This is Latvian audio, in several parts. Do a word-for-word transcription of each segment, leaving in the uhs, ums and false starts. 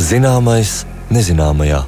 Zināmais nezināmajā.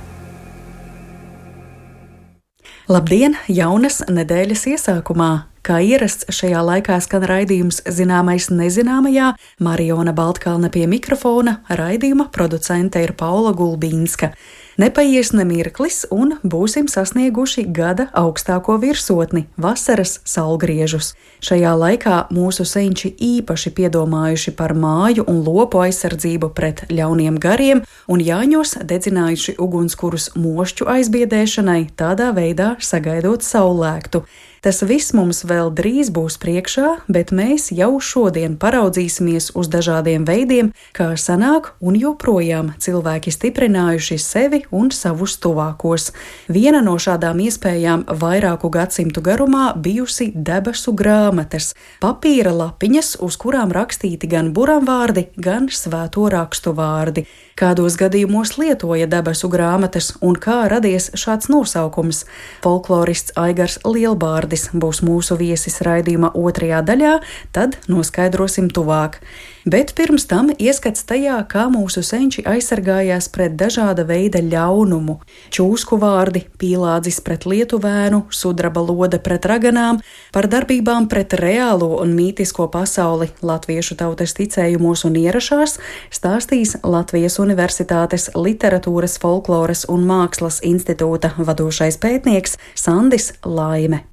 Labdien! Jaunas nedēļas iesākumā! Kā ierasts šajā laikā skan raidījums Zināmais nezināmajā, Mariona Baltkalne pie mikrofona, raidījuma producente ir Paula Gulbīnska. Nepaies ne mirklis un būsim sasnieguši gada augstāko virsotni – vasaras saulgriežus. Šajā laikā mūsu senči īpaši piedomājuši par māju un lopu aizsardzību pret ļauniem gariem un Jāņos dedzinājuši ugunskurus mošķu aizbiedēšanai, tādā veidā sagaidot saulēktu. Tas viss mums vēl drīz būs priekšā, bet mēs jau šodien paraudzīsimies uz dažādiem veidiem, kā sanāk un joprojām cilvēki stiprinājuši sevi un savus tuvākos. Viena no šādām iespējām vairāku gadsimtu garumā bijusi debesu grāmatas, papīra lapiņas, uz kurām rakstīti gan buramvārdi, gan svēto rakstu vārdi. Kādos gadījumos lietoja debesu grāmatas un kā radies šāds nosaukums? Folklorists Aigars Lielbārdis būs mūsu viesis raidījuma otrajā daļā, tad noskaidrosim tuvāk. Bet pirms tam ieskats tajā, kā mūsu senči aizsargājās pret dažāda veida ļaunumu. Čūsku vārdi, pīlādzis pret lietuvēnu, sudraba lode pret raganām, par darbībām pret reālo un mītisko pasauli latviešu tautas ticējumos un ierašās stāstīs Latvijas Universitātes Literatūras, folkloras un mākslas institūta vadošais pētnieks Sandis Laime.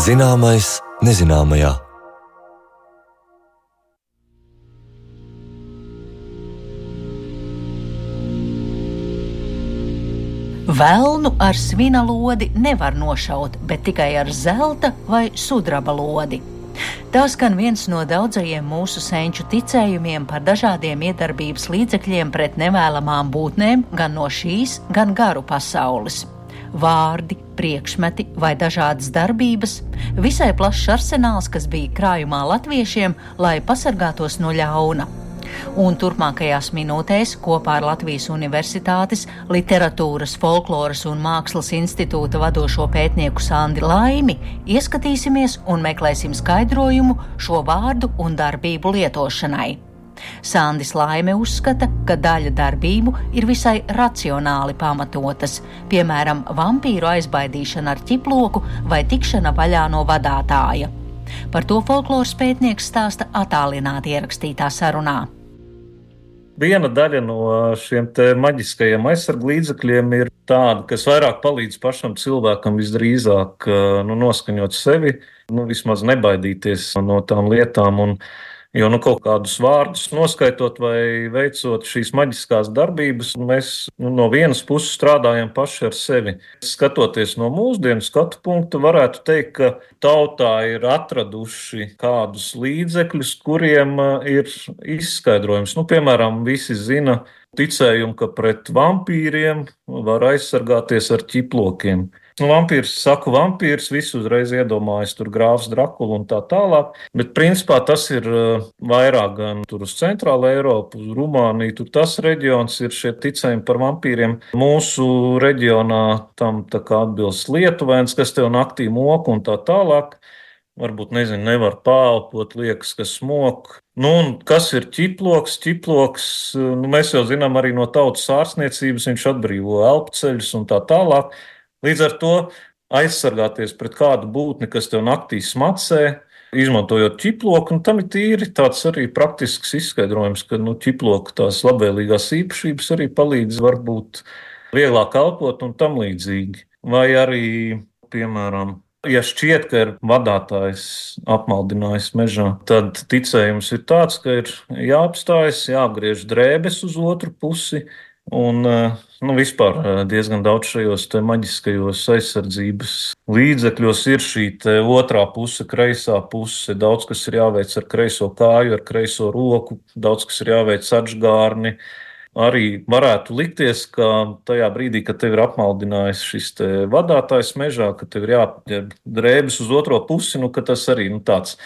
Zināmais nezināmajā. Velnu ar svina lodi nevar nošaut, bet tikai ar zelta vai sudraba lodi. Tā skan viens no daudzajiem mūsu senču ticējumiem par dažādiem iedarbības līdzekļiem pret nevēlamām būtnēm gan no šīs, gan garu pasaules. Vārdi, priekšmeti vai dažādas darbības, visai plašs arsenāls, kas bija krājumā latviešiem, lai pasargātos no ļauna. Un turpmākajās minūtēs kopā ar Latvijas Universitātes Literatūras, folkloras un mākslas institūta vadošo pētnieku Sandi Laimi ieskatīsimies un meklēsim skaidrojumu šo vārdu un darbību lietošanai. Sandis Laime uzskata, ka daļa darbību ir visai racionāli pamatotas, piemēram, vampīru aizbaidīšana ar ķiploku vai tikšana vaļā no vadātāja. Par to folkloras pētnieks stāsta attālināti ierakstītā sarunā. Viena daļa no šiem te maģiskajiem aizsarglīdzekļiem ir tāda, kas vairāk palīdz pašam cilvēkam visdrīzāk nu, noskaņot sevi, nu, vismaz nebaidīties no tām lietām. Un, jo nu, kaut kādus vārdus noskaitot vai veicot šīs maģiskās darbības, mēs nu, no vienas puses strādājam paši ar sevi. Skatoties no mūsdienu skatu punkta, varētu teikt, ka tautā ir atraduši kādus līdzekļus, kuriem ir izskaidrojums. Nu, piemēram, visi zina ticējumu, ka pret vampīriem var aizsargāties ar ķiplokiem. Nu, vampīrs, saku vampīrs, visi uzreiz iedomājas tur grāfs Drakulu un tā tālāk, bet principā tas ir vairāk gan tur uz centrāla Eiropu, uz Rumāniju, tur tas reģions ir šie ticējumi par vampīriem. Mūsu reģionā tam tā kā atbilst lietuvēns, kas tev naktī mok un tā tālāk. Varbūt, nezinu, nevar pāelpot, liekas, ka smok. Nu, un kas ir ķiploks? Ķiploks, nu, mēs jau zinām arī no tautas ārstniecības, viņš atbrīvo elpceļus un tā tālāk. Līdz ar to aizsargāties pret kādu būtni, kas tev naktī smacē, izmantojot ķiploku, un tam ir tīri tāds arī praktisks izskaidrojums, ka nu, ķiploku tās labvēlīgās īpašības arī palīdz varbūt vieglāk elpot un tam līdzīgi. Vai arī, piemēram, ja šķiet, ka ir vadātājs apmaldinājis mežā, tad ticējums ir tāds, ka ir jāapstājas, jāapgriež drēbes uz otru pusi, un nu, vispār diezgan daudz šajos te maģiskajos aizsardzības līdzekļos ir šī te otrā puse, kreisā puse. Daudz, kas ir jāveic ar kreiso kāju, ar kreiso roku, daudz, kas ir jāveic atžgārni. Arī varētu likties, ka tajā brīdī, kad tev ir apmaldinājis šis te vadātājs mežā, ka tev ir jāapģērb drēbes uz otro pusi, nu, ka tas arī nu, tāds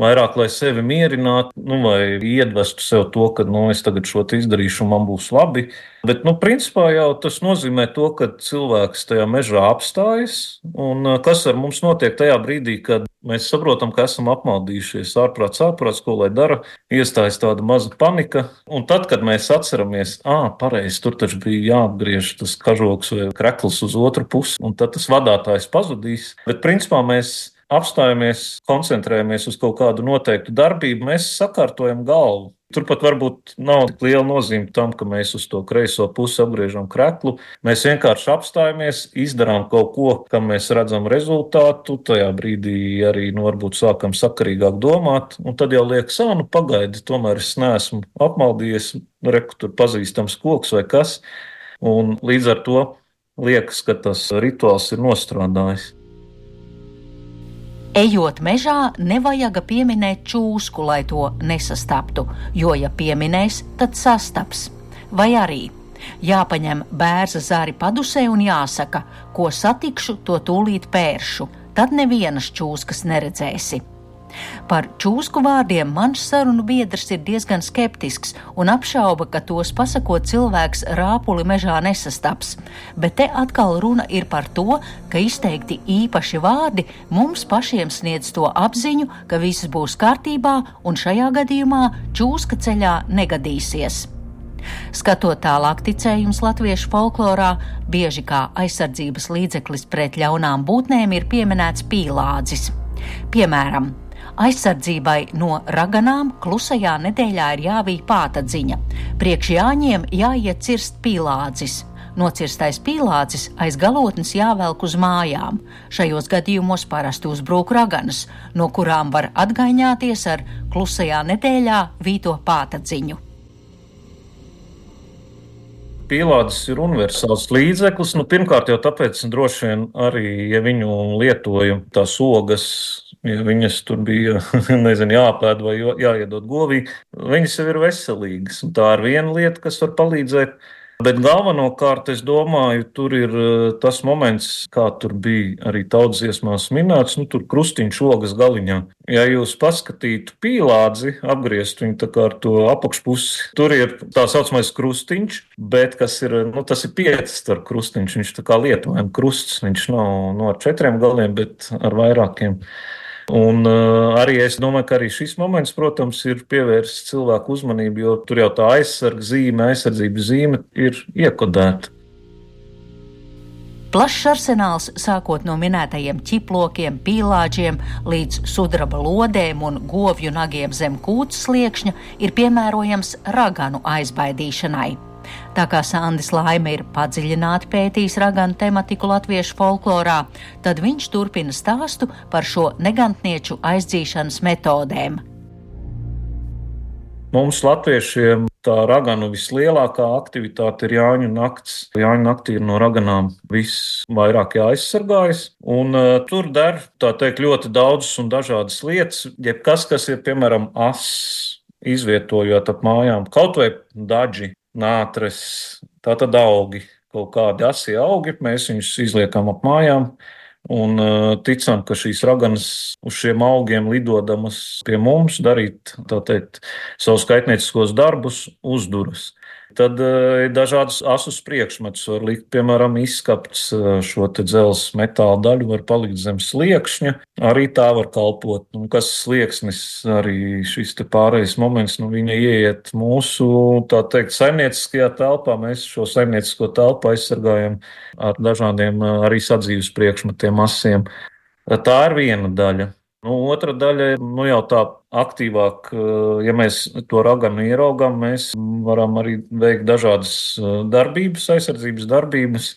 vairāk, lai sevi mierinātu, nu, vai iedvestu sev to, ka, nu, es tagad šo te izdarīšu un man būs labi. Bet, nu, principā jau tas nozīmē to, ka cilvēks tajā mežā apstājas, un kas ar mums notiek tajā brīdī, kad mēs saprotam, ka esam apmaldījušies, ārprāts, ārprāts, ko lai dara, iestājas tāda maza panika, un tad, kad mēs atceramies, ā, pareizi, tur taču bija jāapgriež tas kažoks vai krekls uz otru pusi, un tad tas vadātājs pazudīs, bet principā mēs apstājamies, koncentrējamies uz kaut kādu noteiktu darbību, mēs sakārtojam galvu. Turpat varbūt nav tik liela nozīme tam, ka mēs uz to kreiso pusi apgriežam kreklu. Mēs vienkārši apstājamies, izdarām kaut ko, kam mēs redzam rezultātu. Tajā brīdī arī nu, varbūt sākam sakarīgāk domāt, un tad jau liekas, ā, nu pagaidi, tomēr es neesmu apmaldījies, reku tur pazīstams koks vai kas. Un līdz ar to liekas, ka tas rituāls ir nostrādājis. Ejot mežā, nevajag pieminēt čūsku, lai to nesastaptu, jo, ja pieminēs, tad sastaps. Vai arī jāpaņem bērza zari padusē un jāsaka, ko satikšu, to tūlīt pēršu, tad nevienas čūskas neredzēsi. Par čūsku vārdiem mans sarunu biedrs ir diezgan skeptisks un apšauba, ka tos pasakot cilvēks rāpuli mežā nesastaps. Bet te atkal runa ir par to, ka izteikti īpaši vārdi mums pašiem sniedz to apziņu, ka viss būs kārtībā un šajā gadījumā čūska ceļā negadīsies. Skatot tālāk, ticējums latviešu folklorā bieži kā aizsardzības līdzeklis pret ļaunām būtnēm ir pieminēts pīlādzis. Piemēram, aizsardzībai no raganām klusajā nedēļā ir jāvij pātadziņa. Priekš jāņiem jāiet cirst pīlādzis. Nocirstais pīlādzis aiz galotnes jāvelk uz mājām. Šajos gadījumos parasti uzbrūk raganas, no kurām var atgaiņāties ar klusajā nedēļā vīto pātadziņu. Pīlādzis ir universāls līdzeklis. Nu, pirmkārt jau tāpēc droši vien arī, ja viņu lietoja tās ogas, ja viņas tur bija, nezinu, jāpēd vai jāiedod govī, viņas jau ir veselīgas. Un tā ir viena lieta, kas var palīdzēt. Bet galvenokārt, es domāju, tur ir tas moments, kā tur bija arī tautsdziesmās minēts, nu tur krustiņš ogas galiņā. Ja jūs paskatītu pīlādzi, apgriezt viņu tā kā ar to apakšpusi, tur ir tā saucamais krustiņš, bet kas ir, nu tas ir piecas starp krustiņš, viņš tā kā lietojam krusts, viņš nav no ar četriem galiem, bet ar vairākiem. Un uh, arī es domāju, ka arī šis moments, protams, ir pievērsts cilvēku uzmanību, jo tur jau tā aizsarga zīme, aizsardzības zīme ir iekodēta. Plašs arsenāls, sākot no minētajiem ķiplokiem, pīlāģiem līdz sudraba lodēm un govju nagiem zem kūts sliekšņa, ir piemērojams raganu aizbaidīšanai. Tā kā Sandis Laime ir padziļināti pētījis raganu tematiku latviešu folklorā, tad viņš turpina stāstu par šo negantnieču aizdzīšanas metodēm. Mums latviešiem tā raganu vislielākā aktivitāte ir Jāņu nakts. Jāņu naktī ir no raganām visvairāk jāaizsargājas, un uh, tur der, tā teikt, ļoti daudzas un dažādas lietas, jebkas, kas ir, piemēram, ass, izvietojot ap mājām, kaut vai daģi, nātres, tātad augi, kaut kādi asi augi, mēs viņus izliekam ap mājām un uh, ticam, ka šīs raganas uz šiem augiem lidodamas pie mums darīt, tā teikt, savus kaitnieciskos darbus uzduras. Tad ir dažādas asus priekšmetus, var likt, piemēram, izskapts šo te dzelzs metāla daļu, var palikt zem sliekšņa, arī tā var kalpot. Un kas slieksnis, arī šis te pārējais moments, nu viņa ieiet mūsu, tā teikt, saimnieciskajā telpā, mēs šo saimniecisko telpu aizsargājam ar dažādiem arī sadzīves priekšmetiem asiem. Tā ir viena daļa. Nu, otra daļa ir nu, jau tā aktīvāk, ja mēs to raganu ieraugām, mēs varam arī veikt dažādas darbības, aizsardzības darbības,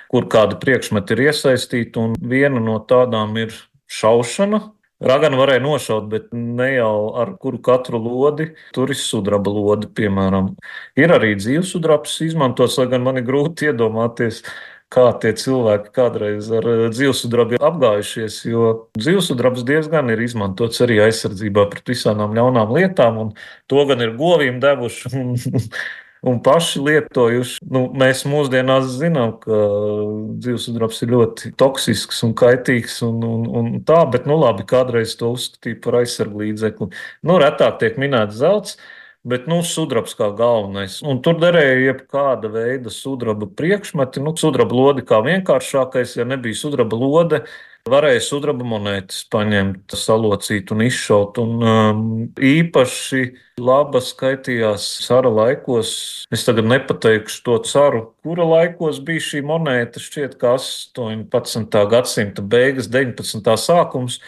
kur kādi priekšmeti ir iesaistīti, un viena no tādām ir šaušana. Raganu varēja nošaut, bet ne jau ar kuru katru lodi, tur ir sudraba lodi, piemēram. Ir arī dzīvsudrabs izmantots, lai gan man ir grūti iedomāties, kā tie cilvēki kādreiz ar dzīvsudrabu apgājušies, jo dzīvsudrabs diezgan ir izmantots arī aizsardzībā pret visādām ļaunām lietām, un to gan ir govīm devuši, un un paši lietojuši. Nu, mēs mūsdienās zinām, ka dzīvesudrabs ir ļoti toksisks un kaitīgs un, un, un tā, bet nu labi, kādreiz to uzskatīja par aizsarglīdzekli. Nu, retāk tiek minēts zelts, bet nu, sudrabs kā galvenais. Un tur derēja jebkāda veida sudraba priekšmeti. Nu, sudraba lodi kā vienkāršākais, ja nebija sudraba lode, varēja sudraba monētas paņemt, salocīt un izšaut. Un um, īpaši laba skaitījās cara laikos. Es tagad nepateikšu to caru, kura laikos bija šī monēta, šķiet, ka astoņpadsmitā gadsimta beigas, deviņpadsmitā sākums,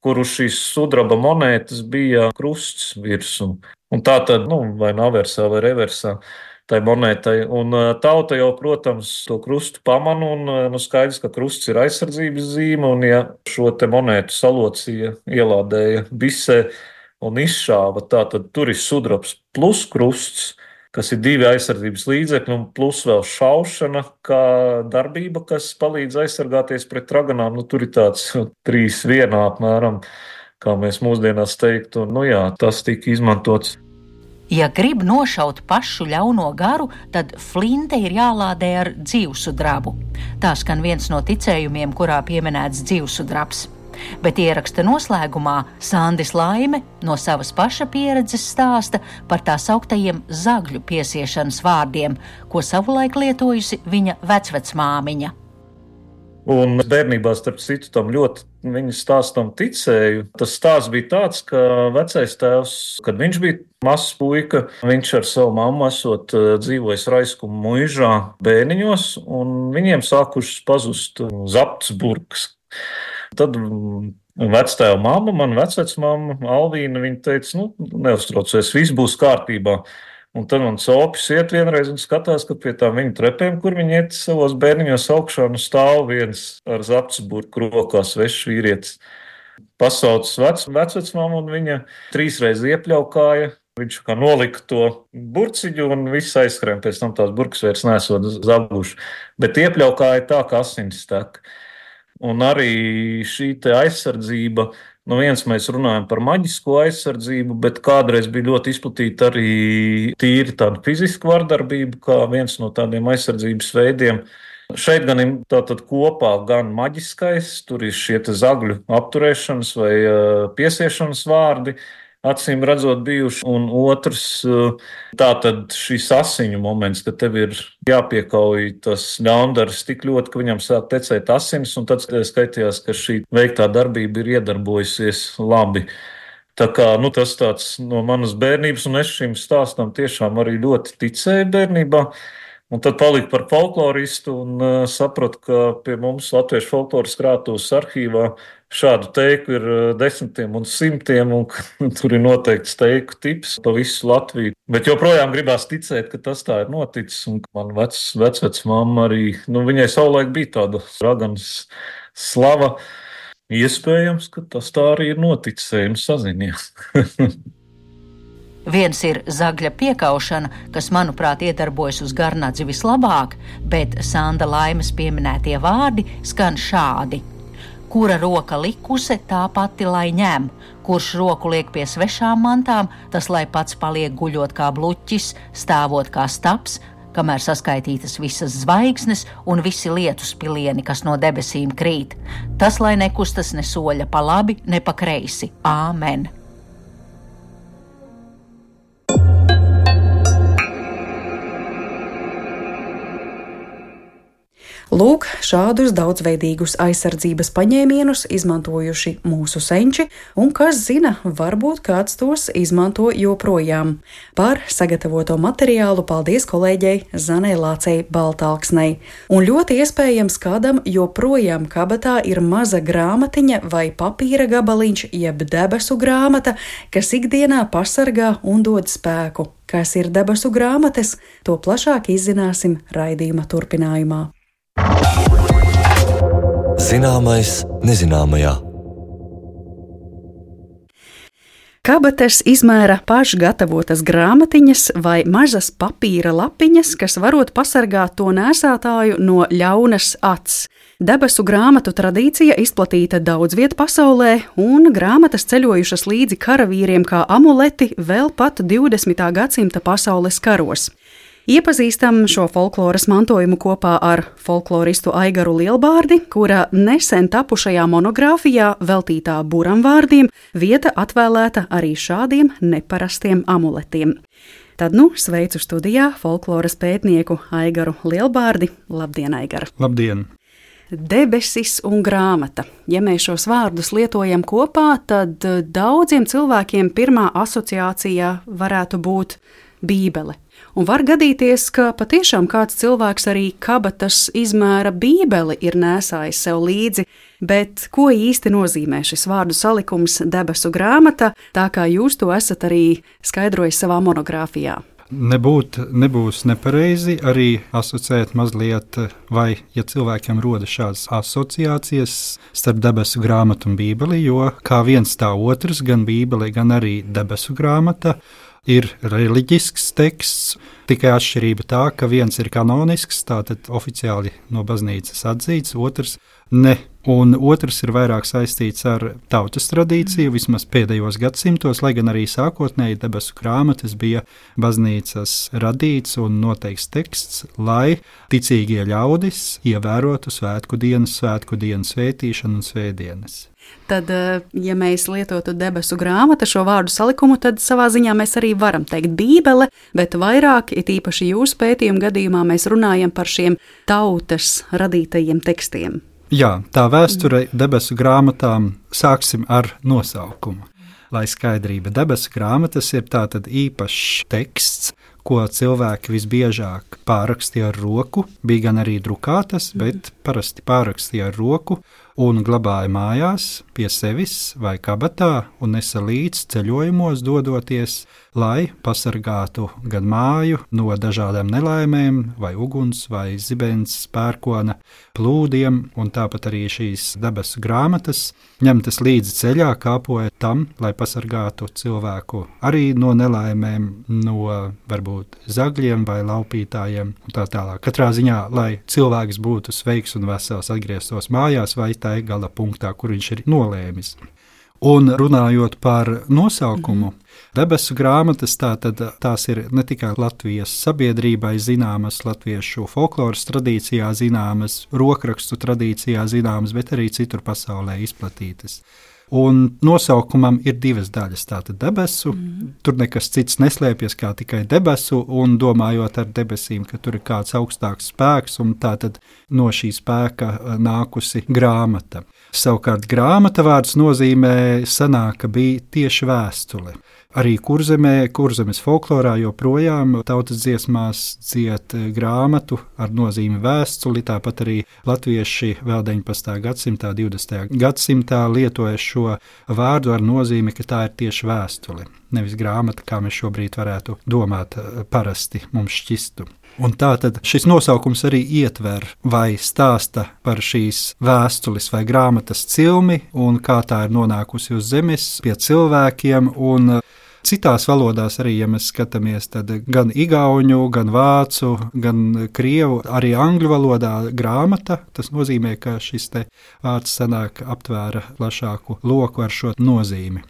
kur uz šīs sudraba monētas bija krusts virsū. Un tā tad, nu, vai aversā vai reversā tai monētai. Un tauta jau, protams, to krustu pamana, un nu, skaidrs, ka krusts ir aizsardzības zīme, un ja šo te monētu salocīja, ielādēja bisē un izšāva, tā tad tur ir sudrabs plus krusts, kas ir divi aizsardzības līdzekļi, un plus vēl šaušana kā darbība, kas palīdz aizsargāties pret raganām. Nu, tur ir tāds trīs vienā apmēram, kā mēs mūsdienās teiktu. Nu jā, tas tika izmantots. Ja grib nošaut pašu ļauno garu, tad flinte ir jālādē ar dzīvsudrabu. Tā skan viens no ticējumiem, kurā pieminēts dzīvsudrabs. Bet ieraksta noslēgumā Sandis Laime no savas paša pieredzes stāsta par tā sauktajiem zagļu piesiešanas vārdiem, ko savulaik lietojusi viņa vecvecmāmiņa. Un bērnībā, starp citu, tam ļoti viņa stāstam ticēju. Tas stāsts bija tāds, ka vecais tēvs, kad viņš bija mazs puika, viņš ar savu mammu esot dzīvojis Raiskumu muižā bērniņos, un viņiem sākušas pazust zapts burkas. Tad vectēva mamma, man vecvecmamma Alvīna, viņa teica, nu, neuztraucies, viss būs kārtībā. Un tad man sopis iet vienreiz un skatās, ka pie tām viņa trepēm, kur viņi iet savos bērniņos augšā, nu stāv viens ar zaptsburku rokā svešs vīrietis. Pasaucis vec, vecvecmammu un viņa trīsreiz iepļaukāja. Viņš kā nolika to burciņu un viss aizskrēja, pēc tam tās burkas vairs nesot zabuši. Bet iepļaukāja tā, ka asinis tek. Un arī šī te aizsardzība, nu viens mēs runājam par maģisko aizsardzību, bet kādreiz bija ļoti izplatīta arī tīri tāda fiziska vardarbība, kā viens no tādiem aizsardzības veidiem. Šeit gan ir tātad kopā gan maģiskais, tur ir šie te zagļu apturēšanas vai piesiešanas vārdi, acīm redzot bijuši, un otrs tātad šis asiņu moments, ka tev ir jāpiekauj tas ļaundaris tik ļoti, ka viņam sāk tecēt asinis, un tad skaitījās, ka šī veiktā darbība ir iedarbojusies labi. Tā kā, nu, tas tāds no manas bērnības, un es šim stāstam tiešām arī ļoti ticēju bērnībā. Un tad paliku par folkloristu un uh, sapratu, ka pie mums Latviešu folkloras krātuves arhīvā šādu teiku ir uh, desmitiem un simtiem, un tur ir noteikts teiku tips pa visu Latviju. Bet joprojām gribās ticēt, ka tas tā ir noticis, un man vec, vecvecmamma arī, nu, viņai savulaik bija tāda raganas slava. Iespējams, ka tas tā arī ir noticis, ejam sazinies. Viens ir zagļa piekaušana, kas, manuprāt, iedarbojas uz garnadzi vislabāk, bet Sanda Laimes pieminētie vārdi skan šādi. Kura roka likuse, tā pati lai ņem. Kurš roku liek pie svešām mantām, tas lai pats paliek guļot kā bluķis, stāvot kā staps, kamēr saskaitītas visas zvaigznes un visi lietus pilieni, kas no debesīm krīt. Tas lai nekustas ne soļa pa labi, ne pa kreisi. Āmen! Lūk, šādus daudzveidīgus aizsardzības paņēmienus izmantojuši mūsu senči, un kas zina, varbūt kāds tos izmanto joprojām. Par sagatavoto materiālu paldies kolēģei Zanei Lācei Baltalksnei. Un ļoti iespējams kādam joprojām kabatā ir maza grāmatiņa vai papīra gabaliņš, jeb debesu grāmata, kas ikdienā pasargā un dod spēku. Kas ir debesu grāmatas, to plašāk izzināsim raidījuma turpinājumā. Zināmais nezināmajā. Kabatas izmēra pašgatavotas grāmatiņas vai mazas papīra lapiņas, kas varot pasargāt to nēsātāju no ļaunas acs. Debesu grāmatu tradīcija izplatīta daudz viet pasaulē, un grāmatas ceļojušas līdzi karavīriem kā amuleti vēl pat divdesmitā gadsimta pasaules karos. Iepazīstam šo folkloras mantojumu kopā ar folkloristu Aigaru Lielbārdi, kura nesen tapušajā monogrāfijā veltītā buramvārdiem vieta atvēlēta arī šādiem neparastiem amuletiem. Tad nu sveicu studijā folkloras pētnieku Aigaru Lielbārdi. Labdien, Aigara! Labdien! Debesis un grāmata. Ja mēs šos vārdus lietojam kopā, tad daudziem cilvēkiem pirmā asociācija varētu būt Bībele. Un var gadīties, ka patiešām kāds cilvēks arī kabatas izmēra Bībeli ir nēsājis sev līdzi, bet ko īsti nozīmē šis vārdu salikums debesu grāmata, tā kā jūs to esat arī skaidrojis savā monogrāfijā? Nebūt, nebūs nepareizi arī asociēt mazliet, vai ja cilvēkiem rodas šādas asociācijas starp debesu grāmatu un Bībeli, jo kā viens tā otrs, gan Bībeli, gan arī debesu grāmata, ir reliģisks teksts, tikai atšķirība tā, ka viens ir kanonisks, tātad oficiāli no baznīcas atzīts, otrs ne. Un otrs ir vairāk saistīts ar tautas tradīciju, vismaz pēdējos gadsimtos, lai gan arī sākotnēji debesu grāmatas bija baznīcas radīts un noteikts teksts, lai ticīgie ļaudis ievērotu svētku dienas, svētku dienas svētīšanu un svētdienas. Tad, ja mēs lietotu debesu grāmatu šo vārdu salikumu, tad savā ziņā mēs arī varam teikt Bībele, bet vairāk, it īpaši jūsu pētījuma gadījumā, mēs runājam par šiem tautas radītajiem tekstiem. Jā, tā vēsture debesu grāmatām sāksim ar nosaukumu. Lai skaidrība, debesu grāmatas ir tātad īpašs teksts, ko cilvēki visbiežāk pārrakstīja ar roku, bija gan arī drukātas, bet parasti pārrakstīja ar roku un glabāja mājās pie sevis vai kabatā un nesa līdz ceļojumos dodoties, lai pasargātu gan māju no dažādām nelaimēm, vai uguns, vai zibens, pērkona, plūdiem, un tāpat arī šīs debesu grāmatas ņemtas līdzi ceļā, kāpoja tam, lai pasargātu cilvēku arī no nelaimēm, no varbūt zagļiem vai laupītājiem un tā tālāk. Katrā ziņā, lai cilvēks būtu sveiks un vesels, atgrieztos mājās vai tai gala punktā, kur viņš ir nolēmis. Un runājot par nosaukumu, debesu grāmatas tātad tās ir ne tikai Latvijas sabiedrībai zināmas, latviešu folkloras tradīcijā zināmas, rokrakstu tradīcijā zināmas, bet arī citur pasaulē izplatītas. Un nosaukumam ir divas daļas, tātad debesu, mm. tur nekas cits neslēpjas kā tikai debesu, un domājot ar debesīm, ka tur ir kāds augstāks spēks, un tātad no šī spēka nākusi grāmata. Savukārt grāmata vārds nozīmē sanāk, ka bija tieši vēstule. Arī Kurzemē, Kurzemes folklorā joprojām tautas dziesmās dzied grāmatu ar nozīmi vēstuli, tāpat arī latvieši vēl deviņpadsmitā gadsimtā, divdesmitajā gadsimtā lietoja šo vārdu ar nozīmi, ka tā ir tieši vēstule, nevis grāmata, kā mēs šobrīd varētu domāt parasti mums šķistu. Un tātad šis nosaukums arī ietver vai stāsta par šīs vēstules vai grāmatas cilmi un kā tā ir nonākusi uz zemes pie cilvēkiem un citās valodās arī, ja mēs skatāmies, tad gan igauņu, gan vācu, gan krievu, arī angļu valodā grāmata, tas nozīmē, ka šis te vārds sanāk aptvēra plašāku loku ar šo nozīmi.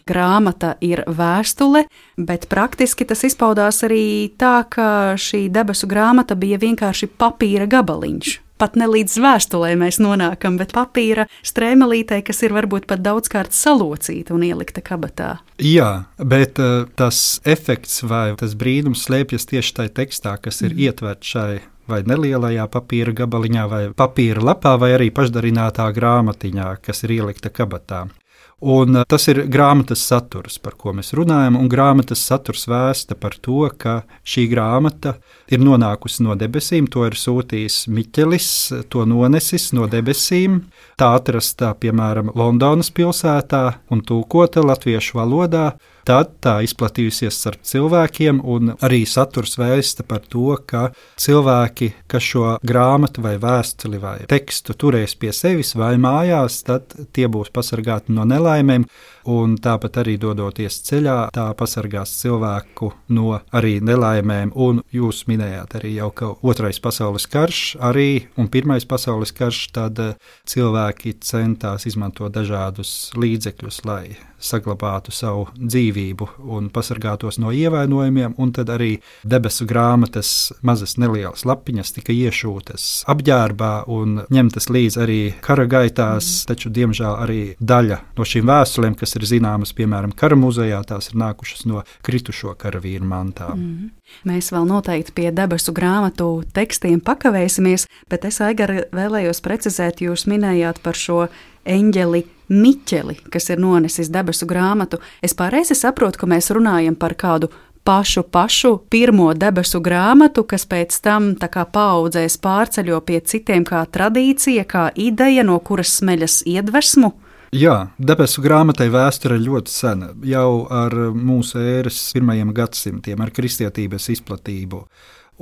Grāmata ir vēstule, bet praktiski tas izpaudās arī tā, ka šī debesu grāmata bija vienkārši papīra gabaliņš. Pat ne līdz vēstulē mēs nonākam, bet papīra strēmelītē, kas ir varbūt pat daudzkārt salocīta un ielikta kabatā. Jā, bet uh, tas efekts vai tas brīnums slēpjas tieši tajā tekstā, kas ir mm. ietverts šai vai nelielajā papīra gabaliņā, vai papīra lapā, vai arī pašdarinātā grāmatiņā, kas ir ielikta kabatā. Un tas ir grāmatas saturs, par ko mēs runājam, un grāmatas saturs vēsta par to, ka šī grāmata ir nonākusi no debesīm, to ir sūtījis Miķelis, to nonesis no debesīm, tā atrasta, piemēram, Londonas pilsētā un tūkota latviešu valodā, tad tā izplatījusies starp cilvēkiem, un arī saturs vēsta par to, ka cilvēki, kas šo grāmatu vai vēstuli vai tekstu turēs pie sevis vai mājās, tad tie būs pasargāti no nelaimēm, un tāpat arī dodoties ceļā, tā pasargās cilvēku no arī nelaimēm, un jūs minējāt arī jau, ka otrais pasaules karš arī, un pirmais pasaules karš, tad cilvēki centās izmantot dažādus līdzekļus, lai saglabātu savu dzīvību un pasargātos no ievainojumiem, un tad arī debesu grāmatas mazas nelielas lapiņas tika iešūtas apģērbā un ņemtas līdz arī kara gaitās, mm. taču diemžēl arī daļa no šīm vēstulēm, kas ir zināmas, piemēram, kara muzejā, tās ir nākušas no kritušo karavīru mantām. Mm. Mēs vēl noteikti pie debesu grāmatu tekstiem pakavēsimies, bet es, Aigara, vēlējos precizēt, jūs minējāt par šo eņģeli Miķeli, kas ir nonesis debesu grāmatu. Es pareizi saprotu, ka mēs runājam par kādu pašu pašu pirmo debesu grāmatu, kas pēc tam tā kā paaudzēs pārceļo pie citiem kā tradīcija, kā ideja, no kuras smeļas iedvesmu. Jā, debesu grāmatai vēsture ir ļoti sena, jau ar mūsu ēras pirmajiem gadsimtiem, ar kristietības izplatību.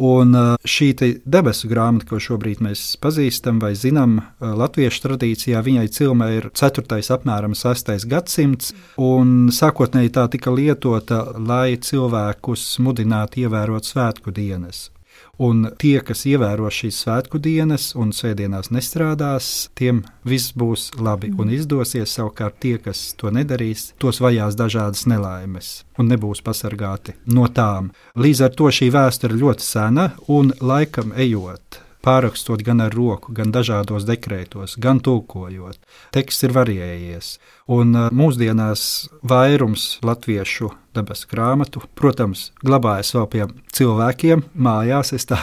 Un šī debesu grāmata, ko šobrīd mēs pazīstam vai zinām, latviešu tradīcijā viņai cilmē ir ceturtais apmēram sestais gadsimts, un sākotnēji tā tika lietota, lai cilvēkus mudinātu ievērot svētku dienas. Un tie, kas ievēro šīs svētku dienas un svētdienās nestrādās, tiem viss būs labi un izdosies. Savukārt tie, kas to nedarīs, tos vajās dažādas nelaimes un nebūs pasargāti no tām. Līdz ar to šī vēsture ir ļoti sena un laikam ejot, pārrakstot gan ar roku, gan dažādos dekrētos, gan tulkojot. Teksts ir variējies, un mūsdienās vairums latviešu debesu grāmatu, protams, glabājas vēl pie cilvēkiem mājās, es tā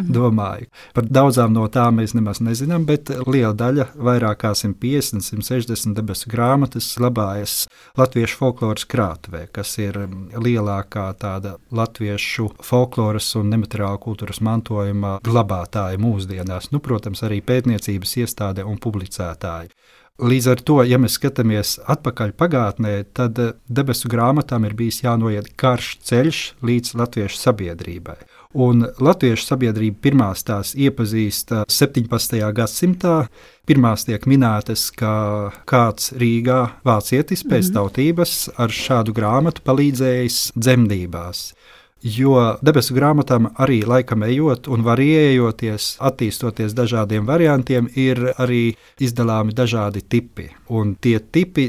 domāju. Par daudzām no tām mēs nemaz nezinām, bet liela daļa, vairāk kā simt piecdesmit, simt sešdesmit debesu grāmatas glabājas latviešu folkloras krātuvē, kas ir lielākā tāda latviešu folkloras un nemateriāla kultūras mantojuma glabātāja mūsdienās, nu, protams, arī pētniecības iestāde un publicētāji. Līdz ar to, ja mēs skatāmies atpakaļ pagātnē, tad debesu grāmatām ir bijis jānoiet karš ceļš līdz latviešu sabiedrībai. Un latviešu sabiedrība pirmās tās iepazīst septiņpadsmitajā gadsimtā. Pirmās tiek minētas, ka kāds Rīgā vācietis pēc tautības ar šādu grāmatu palīdzējis dzemdībās. Jo debesu grāmatām arī laikam ejot un variējoties, attīstoties dažādiem variantiem, ir arī izdalāmi dažādi tipi. Un tie tipi,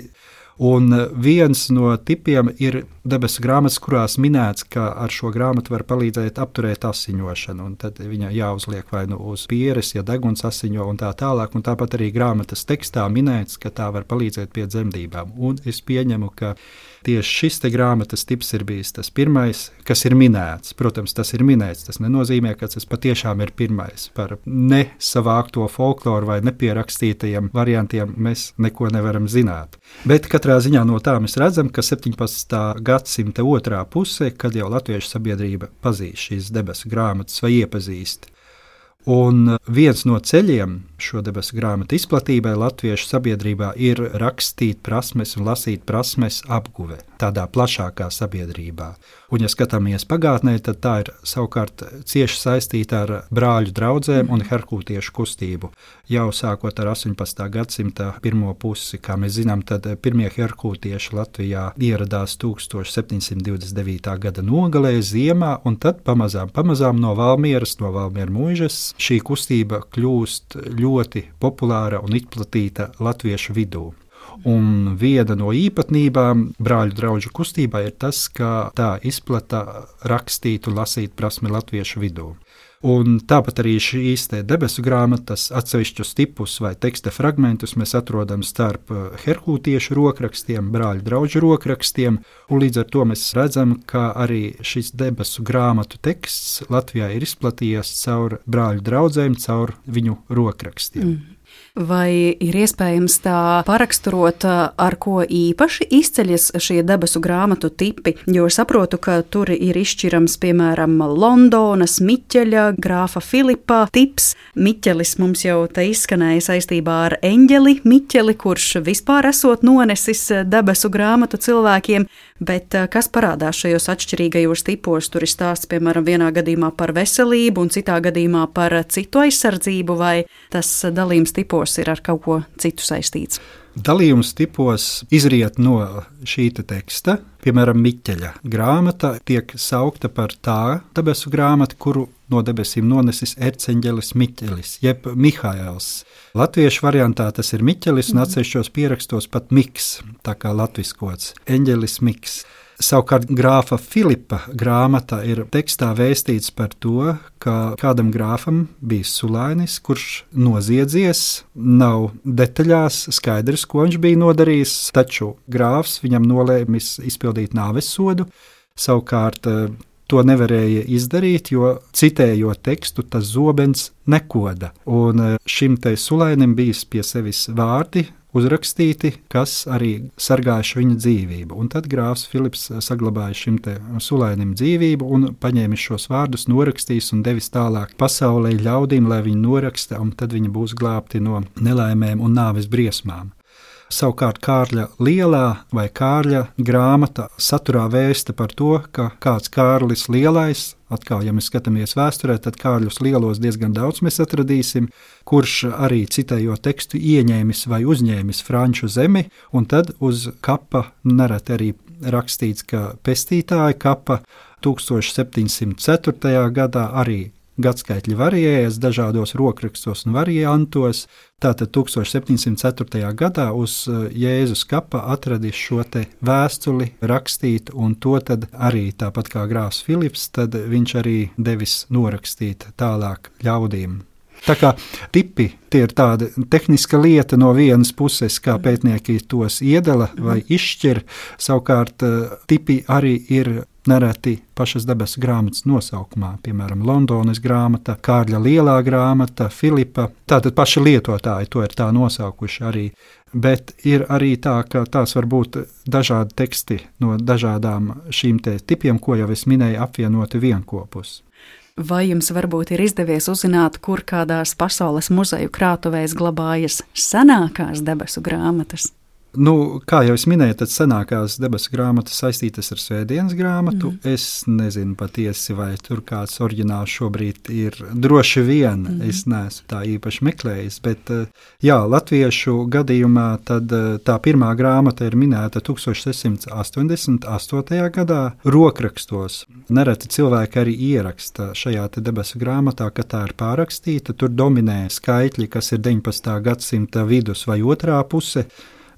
un viens no tipiem ir debesu grāmatas, kurās minēts, ka ar šo grāmatu var palīdzēt apturēt asiņošanu, un tad viņai jāuzliek vai nu uz pieres, ja deguns asiņo un tā tālāk, un tāpat arī grāmatas tekstā minēts, ka tā var palīdzēt pie dzemdībām. Un es pieņemu, ka tieši šis te grāmatas tips ir bijis tas pirmais, kas ir minēts. Protams, tas ir minēts, tas nenozīmē, ka tas patiešām ir pirmais. Par nesavākto folkloru vai nepierakstītajiem variantiem mēs neko nevaram zināt. Bet katrā ziņā no tā mēs redzam, ka septiņpadsmitā gadsimta otrā pusē, kad jau latviešu sabiedrība pazīst šīs debesu grāmatas vai iepazīst. Un viens no ceļiem šo debesu grāmatu izplatībai latviešu sabiedrībā ir rakstīt prasmes un lasīt prasmes apguve tādā plašākā sabiedrībā. Un, ja skatāmies pagātnē, tad tā ir savukārt cieši saistīta ar brāļu draudzēm un herkūtiešu kustību. Jau sākot ar astoņpadsmitā gadsimta pirmo pusi, kā mēs zinām, tad pirmie herkūtieši Latvijā ieradās tūkstoš septiņsimt divdesmit devītā gada nogalē ziemā, un tad pamazām, pamazām no Valmieras, no Valmieru muižas, šī kustība kļūst ļoti populāra un izplatīta latviešu vidū. Un viena no īpatnībām brāļu draugu kustībā ir tas, ka tā izplata rakstīt un lasīt prasmi latviešu vidū. Un tāpat arī šīs debesu grāmatas atsevišķus tipus vai teksta fragmentus mēs atrodam starp herkūtiešu rokrakstiem, brāļu draugu rokrakstiem, un līdz ar to mēs redzam, ka arī šis debesu grāmatu teksts Latvijā ir izplatījies caur brāļu draudzēm, caur viņu rokrakstiem. Mm. Vai ir iespējams tā paraksturot, ar ko īpaši izceļas šie debesu grāmatu tipi? Jo saprotu, ka tur ir izšķirams, piemēram, Londonas Miķeļa, grāfa Filipa tips. Miķelis mums jau te izskanēja saistībā ar eņģeli Miķeli, kurš vispār esot nonesis debesu grāmatu cilvēkiem, bet kas parādās šajos atšķirīgajos tipos? Tur ir stāsts, piemēram, vienā gadījumā par veselību un citā gadījumā par citu aizsardzību, vai tas dalījums tipos tipos ir ar kaut ko citu saistīts? Dalījums tipos izriet no šī te teksta. Piemēram, Miķeļa grāmata tiek saukta par tā debesu grāmatu, kuru no debesīm nonesis erceņģelis Miķelis, jeb Mihaēls. Latviešu variantā tas ir Miķelis un atsevišķos pierakstos pat Miks, tā kā latviskots, eņģelis Miks. Savukārt grāfa Filipa grāmata ir tekstā vēstīts par to, ka kādam grāfam bija sulainis, kurš noziedzies, nav detaļās skaidrs, ko viņš bija nodarījis, taču grāfs viņam nolēmis izpildīt nāves sodu. Savukārt to nevarēja izdarīt, jo citējot tekstu, tas zobens nekoda. Un šim te sulainim bijis pie sevis vārdi uzrakstīti, kas arī sargājuši viņa dzīvību. Un tad grāfs Filips saglabāja šim te sulainim dzīvību un paņēmis šos vārdus, norakstījis un devis tālāk pasaulē ļaudīm, lai viņi noraksta, un tad viņi būs glābti no nelaimēm un nāves briesmām. Savukārt Kārļa Lielā vai Kārļa grāmata saturā vēsta par to, ka kāds Kārlis Lielais, atkal, ja mēs skatāmies vēsturē, tad Kārļus Lielos diezgan daudz mēs atradīsim, kurš arī citējot tekstu ieņēmis vai uzņēmis franču zemi, un tad uz kapa nereti arī rakstīts, ka pestītāja kapa tūkstoš septiņsimt ceturtajā gadā arī gadskaitļi varējās dažādos rokrakstos un variantos. Tātad tūkstoš septiņsimt ceturtajā gadā uz Jēzus kapa atradis šo te vēstuli rakstīt, un to tad arī tāpat kā grāfs Filips, tad viņš arī devis norakstīt tālāk ļaudīm. Tā kā tipi tie ir tāda tehniska lieta no vienas puses, kā pētnieki tos iedala vai izšķir, savukārt tipi arī ir nereti pašas debesu grāmatas nosaukumā, piemēram, Londonas grāmata, Kārļa Lielā grāmata, Filipa. Tātad paši lietotāji to ir tā nosaukuši arī, bet ir arī tā, ka tās var būt dažādi teksti no dažādām šīm te tipiem, ko jau es minēju, apvienoti vienkopus. Vai jums varbūt ir izdevies uzzināt, kur kādās pasaules muzeju krātuvēs glabājas senākās debesu grāmatas? Nu, kā jau es minēju, tad senākās debesu grāmatas saistītas ar Svētdienas grāmatu. Mm. Es nezinu patiesi, vai tur kāds oriģināls šobrīd ir. Droši vien, mm. es neesmu tā īpaši meklējis, bet jā, latviešu gadījumā tad tā pirmā grāmata ir minēta tūkstoš sešsimt astoņdesmit astotajā gadā rokrakstos. Nereti cilvēki arī ieraksta šajā te debesu grāmatā, ka tā ir pārrakstīta. Tur dominē skaitļi, kas ir deviņpadsmitā gadsimta vidus vai otrā puse.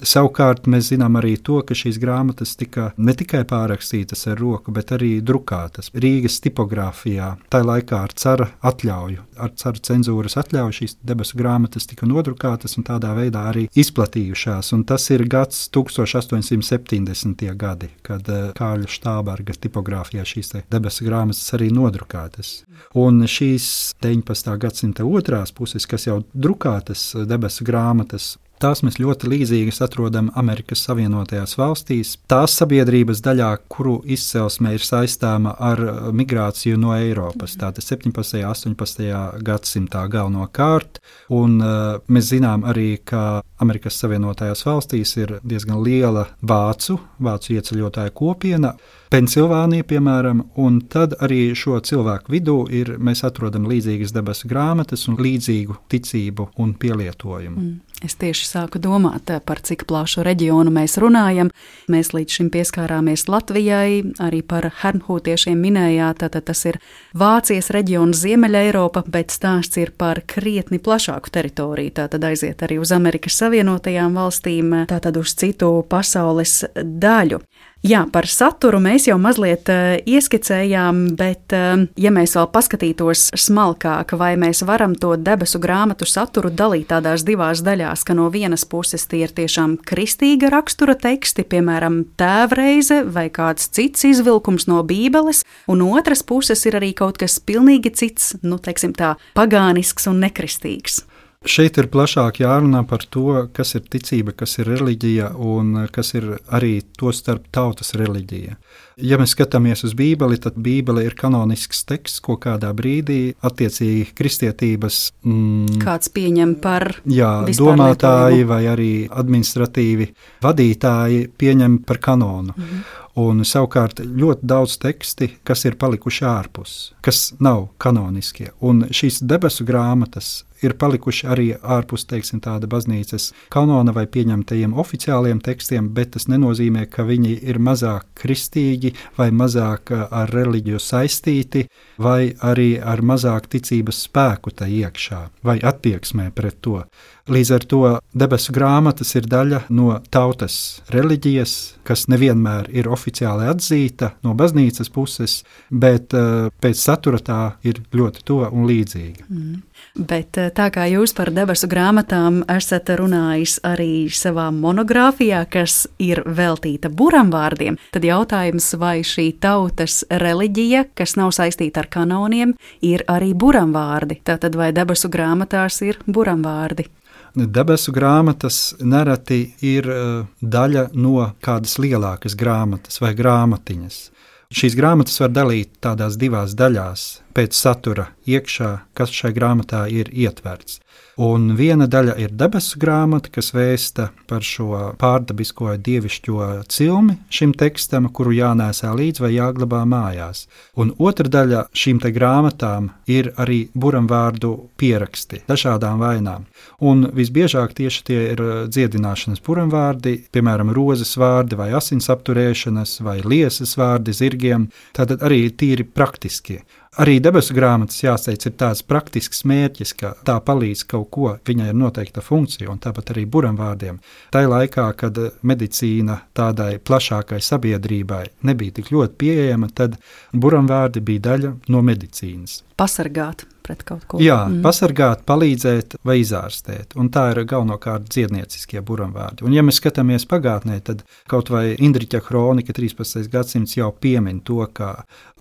Savukārt mēs zinām arī to, ka šīs grāmatas tika ne tikai pārrakstītas ar roku, bet arī drukātas Rīgas tipogrāfijā. Tā laikā ar cara atļauju, ar cara cenzūras atļauju šīs debesu grāmatas tika nodrukātas un tādā veidā arī izplatījušās. Un tas ir gads tūkstoš astoņsimt septiņdesmitie gadi, kad Kārļa Štāberga tipogrāfijā šīs debesu grāmatas arī nodrukātas. Un šīs deviņpadsmitā gadsimta otrās puses, kas jau drukātas debesu grāmatas, tās mēs ļoti līdzīgas atrodam Amerikas Savienotajās valstīs. Tās sabiedrības daļā, kuru izcelsme ir saistāma ar migrāciju no Eiropas, tātad septiņpadsmitajā, astoņpadsmitajā gadsimtā galvenokārt. Un uh, mēs zinām arī, ka Amerikas Savienotajās valstīs ir diezgan liela vācu, vācu ieceļotāju kopiena, Pensilvānija, piemēram, un tad arī šo cilvēku vidū ir, mēs atrodam līdzīgas debesu grāmatas un līdzīgu ticību un pielietojumu. Mm. Es tieši sāku domāt, par cik plašu reģionu mēs runājam. Mēs līdz šim pieskārāmies Latvijai, arī par hernhūtiešiem minējāt, tātad tas ir Vācijas reģions Ziemeļa Eiropa, bet stāsts ir par krietni plašāku teritoriju, tātad aiziet arī uz Amerikas Savienotajām valstīm, tātad uz citu pasaules daļu. Jā, par saturu mēs jau mazliet uh, ieskicējām, bet uh, ja mēs vēl paskatītos smalkāk, vai mēs varam to debesu grāmatu saturu dalīt tādās divās daļās, ka no vienas puses tie ir tiešām kristīga rakstura teksti, piemēram, tēvreize vai kāds cits izvilkums no Bībeles, un otras puses ir arī kaut kas pilnīgi cits, nu, teiksim tā, pagānisks un nekristīgs. Šeit ir plašāk jārunā par to, kas ir ticība, kas ir reliģija un kas ir arī to starp tautas reliģija. Ja mēs skatāmies uz Bībeli, tad Bībele ir kanonisks teksts, ko kādā brīdī attiecīgi kristietības mm, kāds pieņem par jā, domātāji vai arī administratīvi vadītāji pieņem par kanonu. Mm-hmm. Un savukārt ļoti daudz teksti, kas ir palikuši ārpus, kas nav kanoniskie. Un šīs debesu grāmatas ir palikuši arī ārpus, teiksim, tāda baznīcas kanona vai pieņemtajiem oficiāliem tekstiem, bet tas nenozīmē, ka viņi ir mazāk kristīgi vai mazāk ar reliģiju saistīti vai arī ar mazāk ticības spēku tai iekšā vai attieksmē pret to. Līdz ar to debesu grāmatas ir daļa no tautas reliģijas, kas nevienmēr ir oficiāli atzīta no baznīcas puses, bet uh, pēc satura tā ir ļoti tuva un līdzīga. Mm. Bet tā kā jūs par debesu grāmatām esat runājis arī savā monogrāfijā, kas ir veltīta buramvārdiem, tad jautājums, vai šī tautas reliģija, kas nav saistīta ar kanoniem, ir arī buramvārdi? Tātad vai debesu grāmatās ir buramvārdi? Debesu grāmatas nereti ir daļa no kādas lielākas grāmatas vai grāmatiņas. Šīs grāmatas var dalīt tādās divās daļās pēc satura iekšā, kas šai grāmatā ir ietverts. Un viena daļa ir debesu grāmata, kas vēsta par šo pārdabisko dievišķo cilmi šim tekstam, kuru jānēsā līdz vai jāglabā mājās. Un otra daļa šīm te grāmatām ir arī buramvārdu pieraksti dažādām vainām. Un visbiežāk tieši tie ir dziedināšanas buramvārdi, piemēram, rozes vārdi vai asins apturēšanas vai liesas vārdi zirgiem, tātad arī tīri praktiskie. Arī debesu grāmatas, jāteic, ir tāds praktisks mērķis, ka tā palīdz kaut ko, viņai ir noteikta funkcija, un tāpat arī buramvārdiem. Tai laikā, kad medicīna tādai plašākai sabiedrībai nebija tik ļoti pieejama, tad buramvārdi bija daļa no medicīnas. Pasargāt pret kaut ko. Jā, mm. pasargāt, palīdzēt vai izārstēt, un tā ir galvenokārt dziednieciskie buramvārdi. Un ja mēs skatāmies pagātnē, tad kaut vai Indriķa kronika trīspadsmitais gadsimts jau piemin to, ka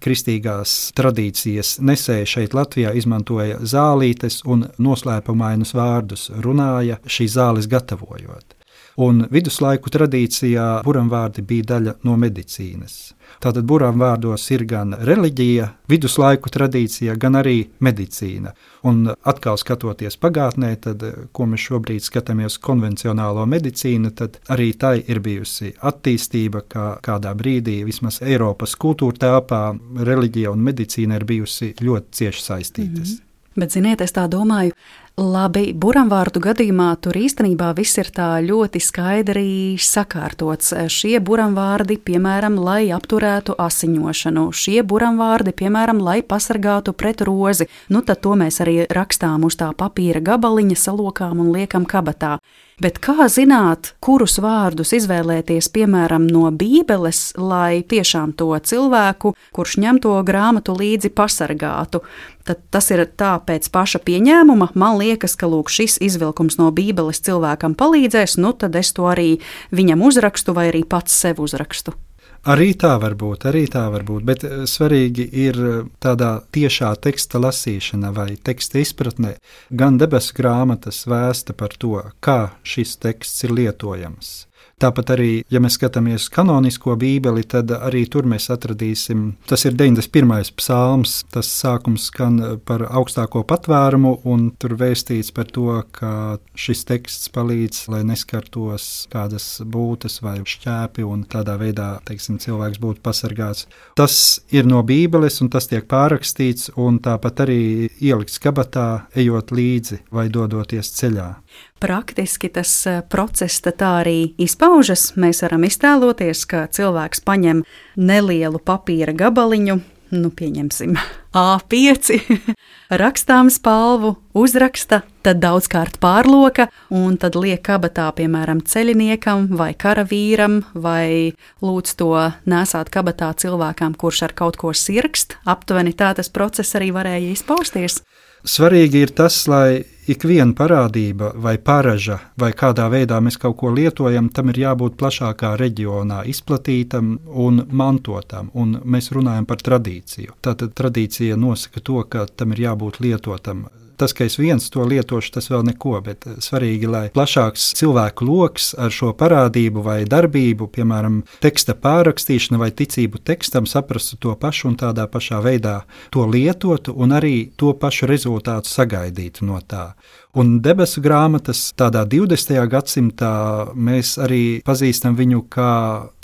kristīgās tradīcijas nesēji šeit Latvijā izmantoja zālītes un noslēpumainus vārdus, runāja šīs zāles gatavojot. Un viduslaiku tradīcijā buramvārdi bija daļa no medicīnas. Tātad buramvārdos ir gan reliģija, viduslaiku tradīcija, gan arī medicīna. Un atkal skatoties pagātnē, tad, ko mēs šobrīd skatāmies konvencionālo medicīnu, tad arī tai ir bijusi attīstība, kā kādā brīdī vismaz Eiropas kultūra telpā reliģija un medicīna ir bijusi ļoti cieši saistītas. Mm-hmm. Bet, ziniet, es tā domāju, labi, buramvārdu gadījumā tur īstenībā viss ir tā ļoti skaidri sakārtots. Šie buramvārdi, piemēram, lai apturētu asiņošanu, šie buramvārdi, piemēram, lai pasargātu pret rozi. Nu, tad to mēs arī rakstām uz tā papīra gabaliņa, salokām un liekam kabatā. Bet kā zināt, kurus vārdus izvēlēties, piemēram, no Bībeles, lai tiešām to cilvēku, kurš ņem to grāmatu līdzi, pasargātu? Tad tas ir tā pēc paša pieņēmuma. Man liekas, ka lūk, šis izvilkums no Bībeles cilvēkam palīdzēs, nu tad es to arī viņam uzrakstu vai arī pats sev uzrakstu. Arī tā var būt, arī tā var būt, bet svarīgi ir tādā tiešā teksta lasīšana vai teksta izpratnē. Gan debesu grāmatas vēsta par to, kā šis teksts ir lietojams. Tāpat arī, ja mēs skatāmies kanonisko Bībeli, tad arī tur mēs atradīsim, tas ir deviņdesmit pirmais psalms, tas sākums skan par augstāko patvērumu, un tur vēstīts par to, ka šis teksts palīdz, lai neskartos kādas būtas vai šķēpi, un tādā veidā, teiksim, cilvēks būtu pasargāts. Tas ir no Bībeles, un tas tiek pārrakstīts, un tāpat arī ielikts kabatā, ejot līdzi vai dodoties ceļā. Praktiski tas process tā arī izpaužas. Mēs varam iztēloties, ka cilvēks paņem nelielu papīra gabaliņu, nu pieņemsim A pieci, rakstām spalvu, uzraksta, tad daudzkārt pārloka un tad liek kabatā, piemēram, ceļiniekam vai karavīram vai lūdz to nesāt kabatā cilvēkam, kurš ar kaut ko sirkst. Aptuveni tā tas process arī varēja izpausties. Svarīgi ir tas, lai ik viena parādība vai paraža vai kādā veidā mēs kaut ko lietojam, tam ir jābūt plašākā reģionā izplatītam un mantotam, un mēs runājam par tradīciju. Tātad tradīcija nosaka to, ka tam ir jābūt lietotam. Tas, ka es viens to lietošu, tas vēl neko, bet svarīgi, lai plašāks cilvēku loks ar šo parādību vai darbību, piemēram, teksta pārrakstīšana vai ticību tekstam, saprastu to pašu un tādā pašā veidā to lietotu un arī to pašu rezultātu sagaidītu no tā. Un debesu grāmatas tādā divdesmitajā gadsimtā mēs arī pazīstam viņu kā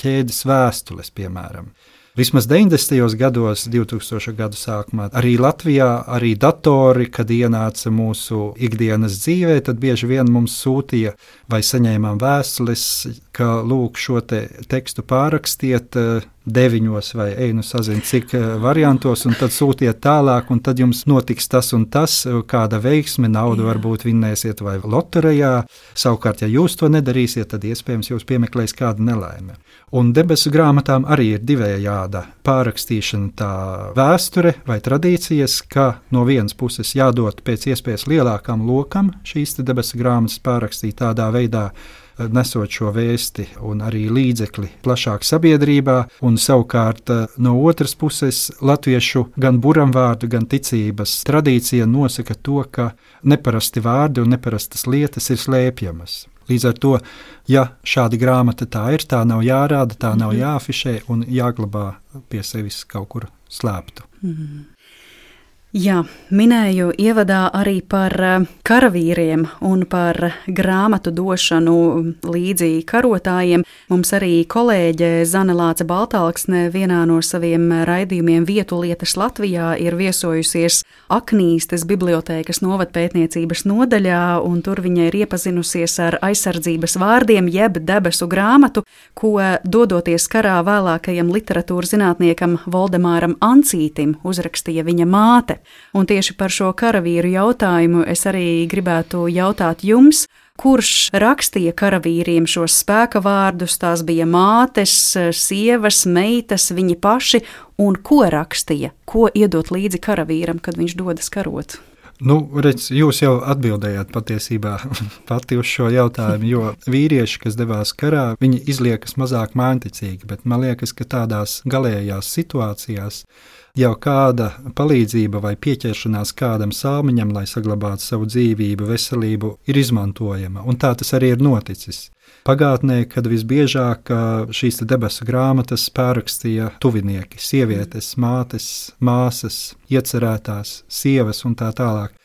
ķēdes vēstules, piemēram. Vismaz deviņdesmitajos gados, divtūkstošo gadu sākumā, arī Latvijā, arī datori, kad ienāca mūsu ikdienas dzīvē, tad bieži vien mums sūtīja vai saņēmām vēstules, ka lūk šo te tekstu pārrakstiet deviņos vai einu sazin cik variantos, un tad sūtiet tālāk, un tad jums notiks tas un tas, kāda veiksme, naudu varbūt vinnēsiet vai loterijā. Savukārt, ja jūs to nedarīsiet, tad iespējams jūs piemeklēs kāda nelaime. Un debesu grāmatām arī ir divējāda pārrakstīšana, tā vēsture vai tradīcijas, ka no vienas puses jādod pēc iespējas lielākam lokam šīs debesu grāmatas pārrakstīt tādā veidā, nesot šo vēsti un arī līdzekli plašāk sabiedrībā, un savukārt no otras puses latviešu gan buramvārdu, gan ticības tradīcija nosaka to, ka neparasti vārdi un neparastas lietas ir slēpjamas. Līdz ar to, ja šāda grāmata tā ir, tā nav jārāda, tā nav jāafišē un jāglabā pie sevis kaut kur slēptu. Mm. Jā, minēju ievadā arī par karavīriem un par grāmatu došanu līdzi karotājiem. Mums arī kolēģe Zane Lāce Baltalksne vienā no saviem raidījumiem Vietu lietas Latvijā ir viesojusies Aknīstes bibliotēkas novatpētniecības nodaļā, un tur viņa ir iepazinusies ar aizsardzības vārdiem jeb debesu grāmatu, ko dodoties karā vēlākajam literatūras zinātniekam Voldemāram Ancītim uzrakstīja viņa māte. Un tieši par šo karavīru jautājumu es arī gribētu jautāt jums, kurš rakstīja karavīriem šos spēka vārdus, tās bija mātes, sievas, meitas, viņi paši, un ko rakstīja, ko iedot līdzi karavīram, kad viņš dodas karot? Nu, redz, jūs jau atbildējāt patiesībā pati uz šo jautājumu, jo vīrieši, kas devās karā, viņi izliekas mazāk mājticīgi, bet man liekas, ka tādās galējās situācijās jau kāda palīdzība vai pieķeršanās kādam salmiņam, lai saglabātu savu dzīvību, veselību, ir izmantojama, un tā tas arī ir noticis. Pagātnē, kad visbiežāk šīs debesu grāmatas pārrakstīja tuvinieki, sievietes, mātes, māsas, iecerētās, sievas un tā tālāk.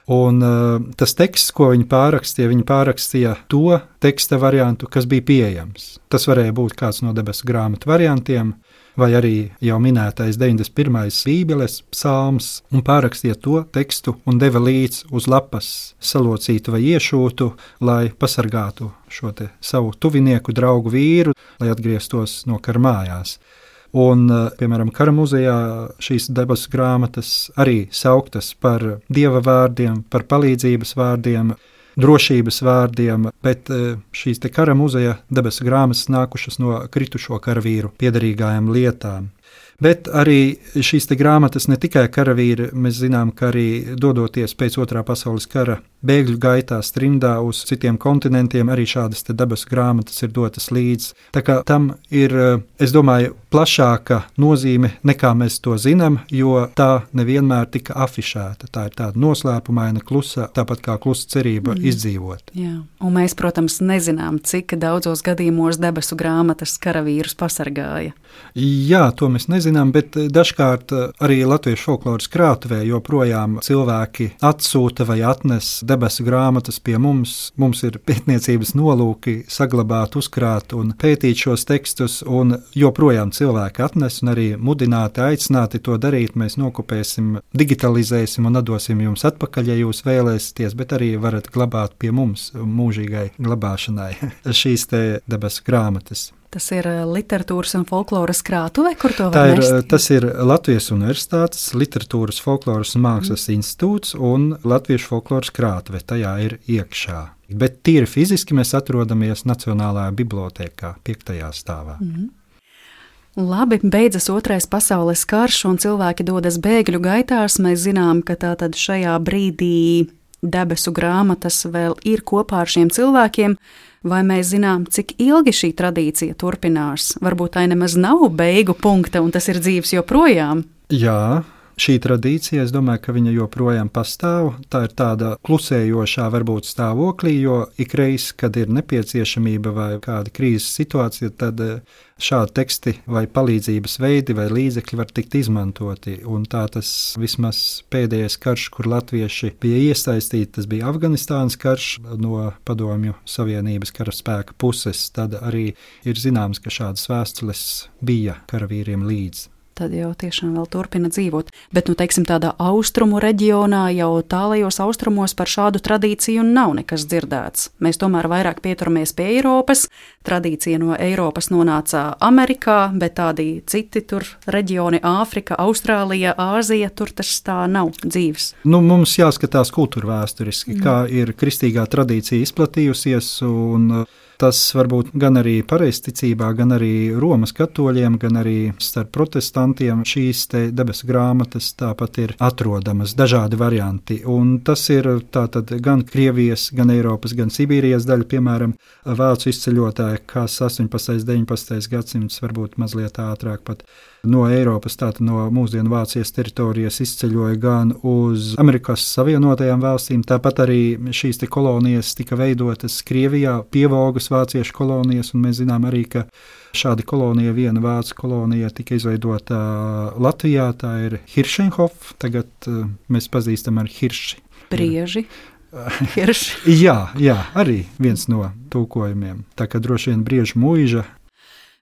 Un uh, tas teksts, ko viņi pārrakstīja, viņi pārrakstīja to teksta variantu, kas bija pieejams. Tas varēja būt kāds no debesu grāmatu variantiem, vai arī jau minētais deviņdesmit pirmais Bībeles psalms, un pārrakstīja to tekstu un deva līdz uz lapas salocītu vai iešūtu, lai pasargātu šo te savu tuvinieku, draugu vīru, lai atgrieztos no kara mājās. Un, piemēram, kara muzejā šīs debesu grāmatas arī sauktas par dieva vārdiem, par palīdzības vārdiem, drošības vārdiem, bet šīs te kara muzeja debesu grāmatas nākušas no kritušo karavīru piederīgajām lietām. Bet arī šīs te grāmatas ne tikai karavīri, mēs zinām, ka arī dodoties pēc otrā pasaules kara bēgļu gaitā trimdā uz citiem kontinentiem, arī šādas te debesu grāmatas ir dotas līdz. Tā kā tam ir, es domāju, plašāka nozīme nekā mēs to zinām, jo tā nevienmēr tika afišēta. Tā ir tāda noslēpumaina, klusa, tāpat kā klusa cerība mm. izdzīvot. Jā, un mēs, protams, nezinām, cik daudzos gadījumos debesu grāmatas karavīrus pasargāja. Jā, to mēs nezinām, bet dažkārt arī latviešu folkloras krātuvē joprojām cilvēki atsūta vai atnes debesu grāmatas pie mums. Mums ir pētniecības nolūki saglabāt, uzkrāt un pētīt šos tekstus, un joprojām cilvēki atnes un arī mudināti, aicināti to darīt. Mēs nokopēsim, digitalizēsim un atdosim jums atpakaļ, ja jūs vēlēsieties, bet arī varat glabāt pie mums mūžīgai glabāšanai šīs te debesu grāmatas. Tas ir literatūras un folkloras krātuve, kur to Tā var ir, nest? tas ir Latvijas Universitātes Literatūras, folkloras un mākslas mm. institūts un Latviešu folkloras krātuve. Tajā ir iekšā. Bet tīri fiziski mēs atrodamies Nacionālajā bibliotēkā, piektajā stāvā. Mm. Labi, beidzas otrais pasaules karš un cilvēki dodas bēgļu gaitās. Mēs zinām, ka tātad šajā brīdī debesu grāmatas vēl ir kopā ar šiem cilvēkiem. Vai mēs zinām, cik ilgi šī tradīcija turpinās? Varbūt tā nemaz nav beigu punkta un tas ir dzīves joprojām. Jā, šī tradīcija, es domāju, ka viņa joprojām pastāv. Tā ir tāda klusējošā varbūt stāvoklī, jo ikreiz, kad ir nepieciešamība vai kāda krīzes situācija, tad šādi teksti vai palīdzības veidi vai līdzekļi var tikt izmantoti. Un tā tas vismaz pēdējais karš, kur latvieši bija iesaistīti, tas bija Afganistānas karš no Padomju Savienības karaspēka puses. Tad arī ir zināms, ka šādas vēstules bija karavīriem līdzi. Tad jau tiešām vēl turpina dzīvot. Bet, nu, teiksim, tādā austrumu reģionā, jau tālajos austrumos par šādu tradīciju nav nekas dzirdēts. Mēs tomēr vairāk pieturamies pie Eiropas. Tradīcija no Eiropas nonāca Amerikā, bet tādi citi tur reģioni, Āfrika, Austrālija, Āzija, tur tas tā nav dzīves. Nu, mums jāskatās kultūra vēsturiski, mm. kā ir kristīgā tradīcija izplatījusies, un tas varbūt gan arī pareizticībā, gan arī Romas katoļiem, gan arī starp protestantiem šīs te debesu grāmatas tāpat ir atrodamas, dažādi varianti. Un tas ir tātad gan Krievijas, gan Eiropas, gan Sibīrijas daļa, piemēram, vācu izceļotāji, kas astoņpadsmitais, deviņpadsmitais gadsimts, varbūt mazliet ātrāk pat no Eiropas, tātad no mūsdienu Vācijas teritorijas izceļoja gan uz Amerikas Savienotajām valstīm, tāpat arī šīs te kolonijas tika veidotas Krievijā, pievogas vāciešu kolonijas, un mēs zinām arī, ka šāda kolonija, viena vācu kolonija tika izveidota Latvijā, tā ir Hiršenhof, tagad mēs pazīstam ar Hirši. Brieži. Hirši. jā, jā, arī viens no tūkojumiem, tā kā droši vien Briežu mūža.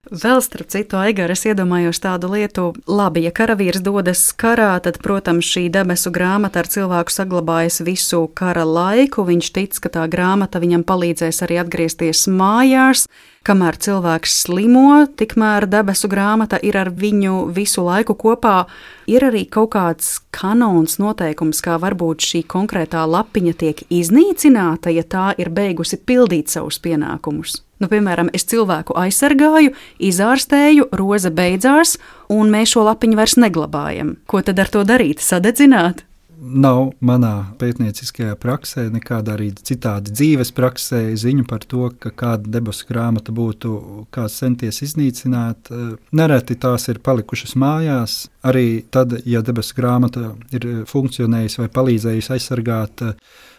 Vēl starp citu, Aigar, es iedomājos tādu lietu, labi, ja karavīrs dodas karā, tad, protams, šī debesu grāmata ar cilvēku saglabājas visu kara laiku, viņš tic, ka tā grāmata viņam palīdzēs arī atgriezties mājās, kamēr cilvēks slimo, tikmēr debesu grāmata ir ar viņu visu laiku kopā. Ir arī kaut kāds kanons noteikums, kā varbūt šī konkrētā lapiņa tiek iznīcināta, ja tā ir beigusi pildīt savus pienākumus. Nu, piemēram, es cilvēku aizsargāju, izārstēju, roze beidzās, un mēs šo lapiņu vairs neglabājam. Ko tad ar to darīt? Sadedzināt? Nav manā pētnieciskajā praksē, nekādā arī citādi dzīves praksē ziņu par to, ka kāda debesu grāmata būtu kāds centies iznīcināt. Nereti tās ir palikušas mājās. Arī tad, ja debesu grāmata ir funkcionējusi vai palīdzējusi aizsargāt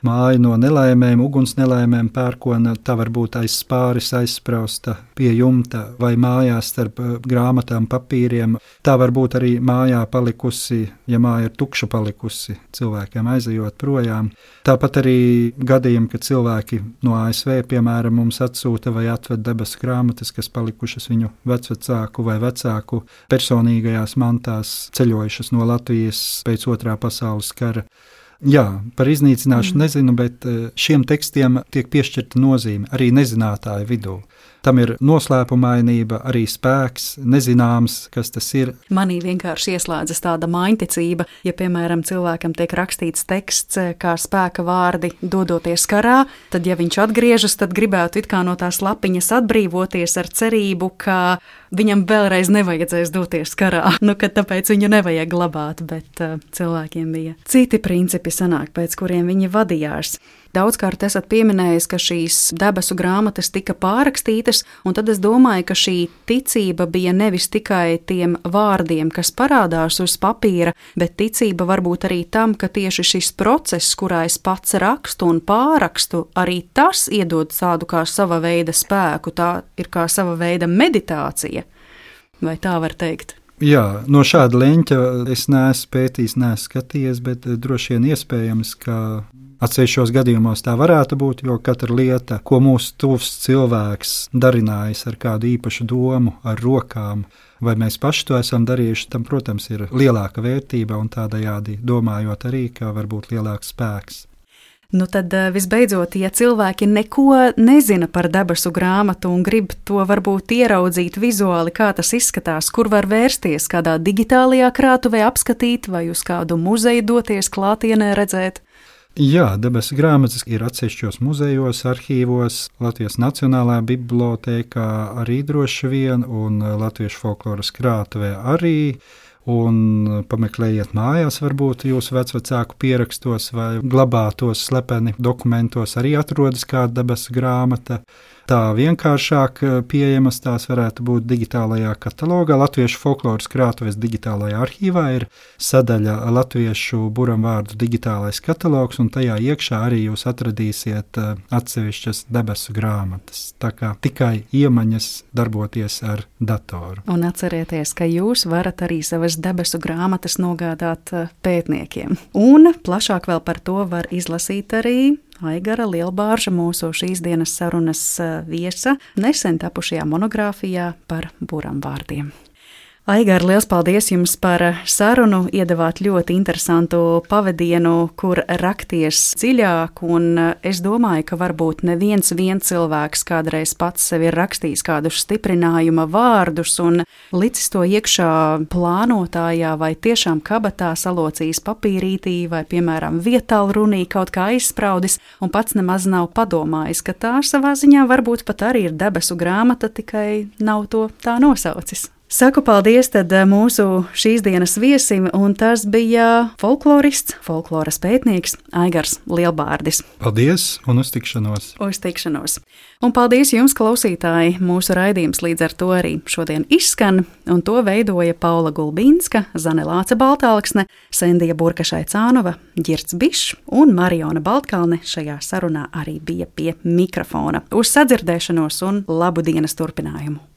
māju no nelaimēm, uguns nelaimēm, pērkona, tā var būt aiz spāris aizsprausta pie jumta vai mājās starp grāmatām, papīriem. Tā var būt arī mājā palikusi, ja māja ir tukša palikusi, cilvēkiem aizejot projām. Tāpat arī gadījumi, kad cilvēki no A S V, piemēram, mums atsūta vai atved debesu grāmatas, kas palikušas viņu vecvecāku vai vecāku personīgajās mantās, ceļojušas no Latvijas pēc otrā pasaules kara. Jā, par iznīcināšanu mm. nezinu, bet šiem tekstiem tiek piešķirta nozīme arī nezinātāju vidū. Tam ir noslēpumainība, arī spēks, nezināms, kas tas ir. Manī vienkārši ieslēdzas tāda maiņticība, ja, piemēram, cilvēkam tiek rakstīts teksts kā spēka vārdi dodoties karā, tad, ja viņš atgriežas, tad gribētu it kā no tās lapiņas atbrīvoties ar cerību, ka viņam vēlreiz nevajadzēs doties karā, nu, ka tāpēc viņu nevajag glabāt, bet uh, cilvēkiem bija citi principi sanāk, pēc kuriem viņi vadījās. Daudzkārt esat pieminējis, ka šīs debesu grāmatas tika pārrakstītas, un tad es domāju, ka šī ticība bija nevis tikai tiem vārdiem, kas parādās uz papīra, bet ticība varbūt arī tam, ka tieši šis process, kurā es pats rakstu un pārrakstu, arī tas iedod tādu kā sava veida spēku, tā ir kā sava veida meditācija, vai tā var teikt? Jā, no šāda leņķa es neesmu pētījis, neesmu skatījies, bet droši vien iespējams, ka atsevišķos gadījumos tā varētu būt, jo katra lieta, ko mūsu tuvs cilvēks darinājis ar kādu īpašu domu, ar rokām, vai mēs paši to esam darījuši, tam, protams, ir lielāka vērtība un tādējādi domājot arī, ka var būt lielāks spēks. Nu tad visbeidzot, ja cilvēki neko nezina par debesu grāmatu un grib to varbūt ieraudzīt vizuāli, kā tas izskatās, kur var vērsties, kādā digitālajā krātuvē apskatīt vai uz kādu muzeju doties klātienē redzēt? Jā, debesu grāmatas ir atsevišķos muzejos, arhīvos, Latvijas Nacionālajā bibliotēkā arī droši vien un Latviešu folkloras krātuvē arī. Un pameklējiet mājās, varbūt jūsu vecvecāku pierakstos vai glabātos slepeni dokumentos arī atrodas kāda debesu grāmata. Tā vienkāršāk pieejamas tās varētu būt digitālajā katalogā. Latviešu folkloras krātuves digitālajā arhīvā ir sadaļa Latviešu buramvārdu digitālais katalogs, un tajā iekšā arī jūs atradīsiet atsevišķas debesu grāmatas. Tā kā tikai iemaņas darboties ar datoru. Un atcerieties, ka jūs varat arī savas debesu grāmatas nogādāt pētniekiem. Un plašāk vēl par to var izlasīt arī Aigara Lielbārža, mūsu šīs dienas sarunas viesa, nesen tapušajā monogrāfijā par buramvārdiem. Aigar, liels paldies jums par sarunu, iedavāt ļoti interesantu pavadienu, kur rakties dziļāk, un es domāju, ka varbūt neviens vien cilvēks kādreiz pats sev ir rakstījis kādus stiprinājuma vārdus un licis to iekšā plānotājā vai tiešām kabatā salocījis papīrītī vai, piemēram, vietālrunī kaut kā aizspraudis un pats nemaz nav padomājis, ka tā savā ziņā varbūt pat arī ir debesu grāmata, tikai nav to tā nosaucis. Saku paldies tad mūsu šīs dienas viesim, un tas bija folklorists, folkloras pētnieks Aigars Lielbārdis. Paldies un uz tikšanos! Uz tikšanos! Un paldies jums, klausītāji! Mūsu raidījums līdz ar to arī šodien izskan, un to veidoja Paula Gulbīnska, Zane Lāce Baltālksne, Sendija Burkašai-Cānova, Ģirds Bišs un Mariona Baltkalne šajā sarunā arī bija pie mikrofona. Uz sadzirdēšanos un labu dienas turpinājumu!